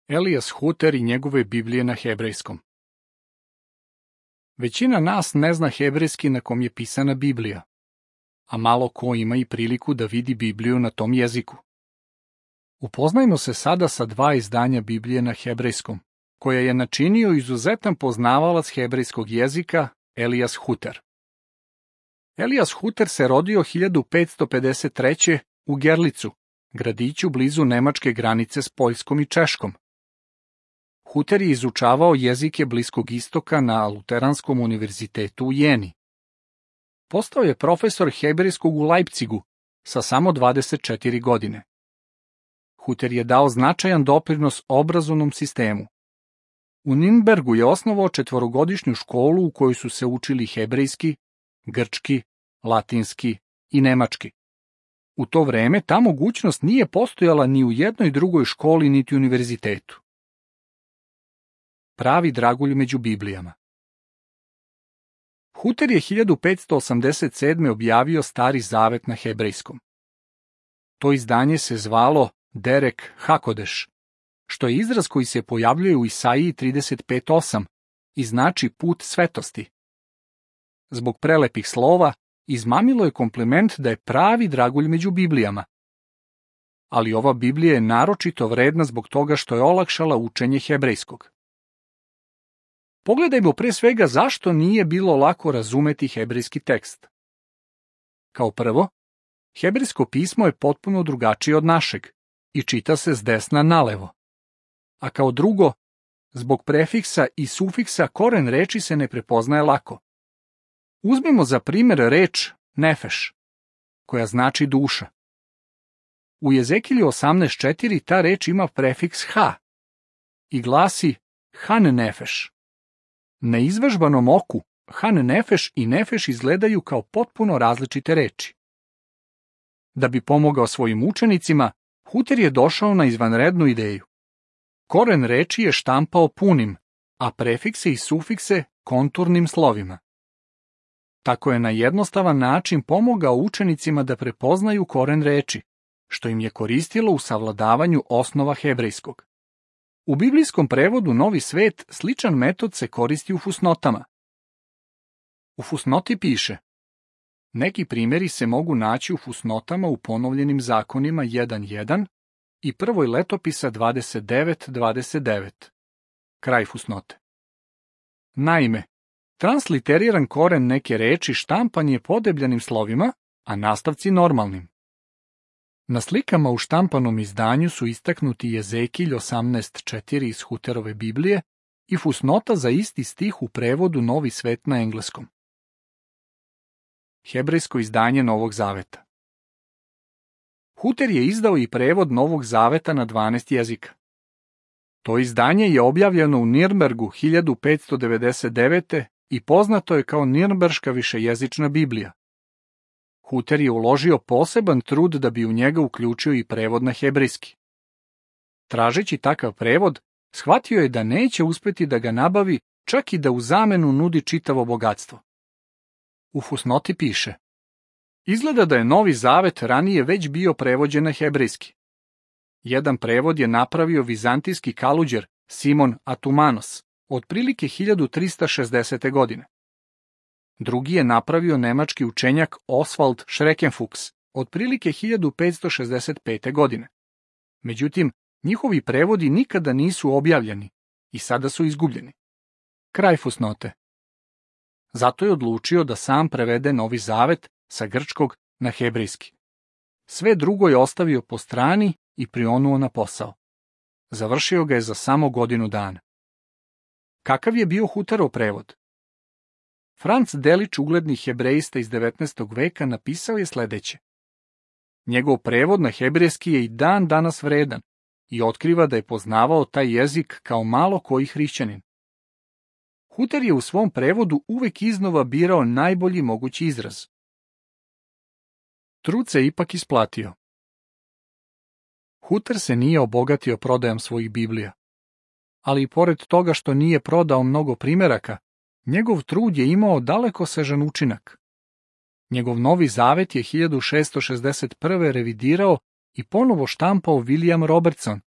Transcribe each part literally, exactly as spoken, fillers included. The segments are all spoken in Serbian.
Elias Huter i njegove Biblije na hebrejskom. Većina nas ne zna hebrejski na kom je pisana Biblija, a malo ko ima i priliku da vidi Bibliju na tom jeziku. Upoznajmo se sada sa dva izdanja Biblije na hebrejskom, koja je načinio izuzetan poznavalac hebrejskog jezika Elias Huter. Elias Huter se rodio hiljadu petsto pedeset treće. u Gerlicu, gradiću blizu nemačke granice s Poljskom i Češkom. Huter je izučavao jezike Bliskog istoka na Luteranskom univerzitetu u Jeni. Postao je profesor hebrejskog u Leipzigu sa samo dvadeset četiri godine. Huter je dao značajan doprinos obrazovnom sistemu. U Nürnbergu je osnovao četvorogodišnju školu u kojoj su se učili hebrejski, grčki, latinski i nemački. U to vreme ta mogućnost nije postojala ni u jednoj drugoj školi niti univerzitetu. Pravi dragulj među Biblijama. Huter je hiljadu petsto osamdeset sedme. objavio Stari zavet na hebrejskom. To izdanje se zvalo Derek Hakodeš, što je izraz koji se pojavljuje u Isaiji trideset pet osam i znači put svetosti. Zbog prelepih slova, izmamilo je kompliment da je pravi dragulj među Biblijama. Ali ova Biblija je naročito vredna zbog toga što je olakšala učenje hebrejskog. Pogledajmo pre svega zašto nije bilo lako razumeti hebrejski tekst. Kao prvo, hebrejsko pismo je potpuno drugačije od našeg i čita se s desna nalevo. A kao drugo, zbog prefiksa i sufiksa koren reči se ne prepoznaje lako. Uzmimo za primjer reč nefeš, koja znači duša. U Jezekilju osamnaest četiri ta reč ima prefiks ha i glasi han nefeš. Neizvežbanom oku han nefeš i nefeš izgledaju kao potpuno različite reči. Da bi pomogao svojim učenicima, Huter je došao na izvanrednu ideju. Koren reči je štampao punim, a prefikse i sufikse konturnim slovima. Tako je na jednostavan način pomogao učenicima da prepoznaju koren reči, što im je koristilo u savladavanju osnova hebrejskog. U biblijskom prevodu Novi svet sličan metod se koristi u fusnotama. U fusnoti piše: neki primjeri se mogu naći u fusnotama u ponovljenim zakonima jedan jedan i prvoj letopisa dvadeset devet dvadeset devet. Kraj fusnote. Naime, transliteriran koren neke reči štampan je podebljanim slovima, a nastavci normalnim. Na slikama u štampanom izdanju su istaknuti Jezekilj osamnaest četiri iz Huterove Biblije i fusnota za isti stih u prevodu Novi svet na engleskom. Hebrejsko izdanje Novog zaveta. Huter je izdao i prevod Novog zaveta na dvanaest jezika. To izdanje je objavljeno u Nürnbergu hiljadu petsto devedeset devete. i poznato je kao Nirnberška višejezična Biblija. Huter je uložio poseban trud da bi u njega uključio i prevod na hebrejski. Tražeći takav prevod, shvatio je da neće uspeti da ga nabavi, čak i da u zamenu nudi čitavo bogatstvo. U fusnoti piše: izgleda da je Novi zavet ranije već bio prevođen na hebrejski. Jedan prevod je napravio vizantijski kaluđer Simon Atumanos, otprilike hiljadu trista šezdesete. godine. Drugi je napravio nemački učenjak Oswald Schreckenfuchs, otprilike hiljadu petsto šezdeset pete. godine. Međutim, njihovi prevodi nikada nisu objavljeni i sada su izgubljeni. Kraj fusnote. Zato je odlučio da sam prevede Novi zavet sa grčkog na hebrejski. Sve drugo je ostavio po strani i prionuo na posao. Završio ga je za samo godinu dana. Kakav je bio Huterov prevod? Franz Delitzsch, ugledni hebrejista iz devetnaestog veka, napisao je sledeće: njegov prevod na hebrejski je i dan danas vredan i otkriva da je poznavao taj jezik kao malo koji hrišćanin. Huter je u svom prevodu uvek iznova birao najbolji mogući izraz. Trud se ipak isplatio. Huter se nije obogatio prodajom svojih Biblija, ali i pored toga što nije prodao mnogo primeraka, njegov trud je imao dalekosežan učinak. Njegov Novi zavet je hiljadu šesto šezdeset prve. revidirao i ponovo štampao William Robertson,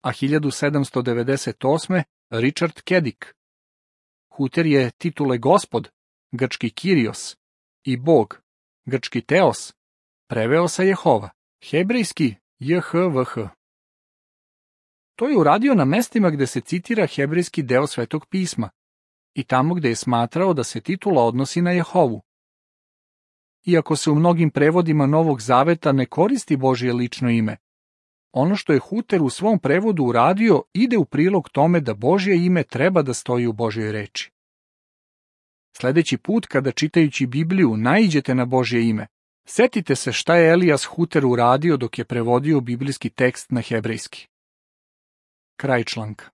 a hiljadu sedamsto devedeset osme. Richard Kedik. Huter je titule Gospod, grčki Kyrios, i Bog, grčki Teos, preveo sa Jehova, hebrejski J H V H. To je uradio na mestima gde se citira hebrejski deo Svetog pisma i tamo gde je smatrao da se titula odnosi na Jehovu. Iako se u mnogim prevodima Novog Zaveta ne koristi Božje lično ime, ono što je Huter u svom prevodu uradio ide u prilog tome da Božje ime treba da stoji u Božjoj reči. Sledeći put kada čitajući Bibliju naiđete na Božje ime, setite se šta je Elijas Huter uradio dok je prevodio biblijski tekst na hebrejski. Kraj članka.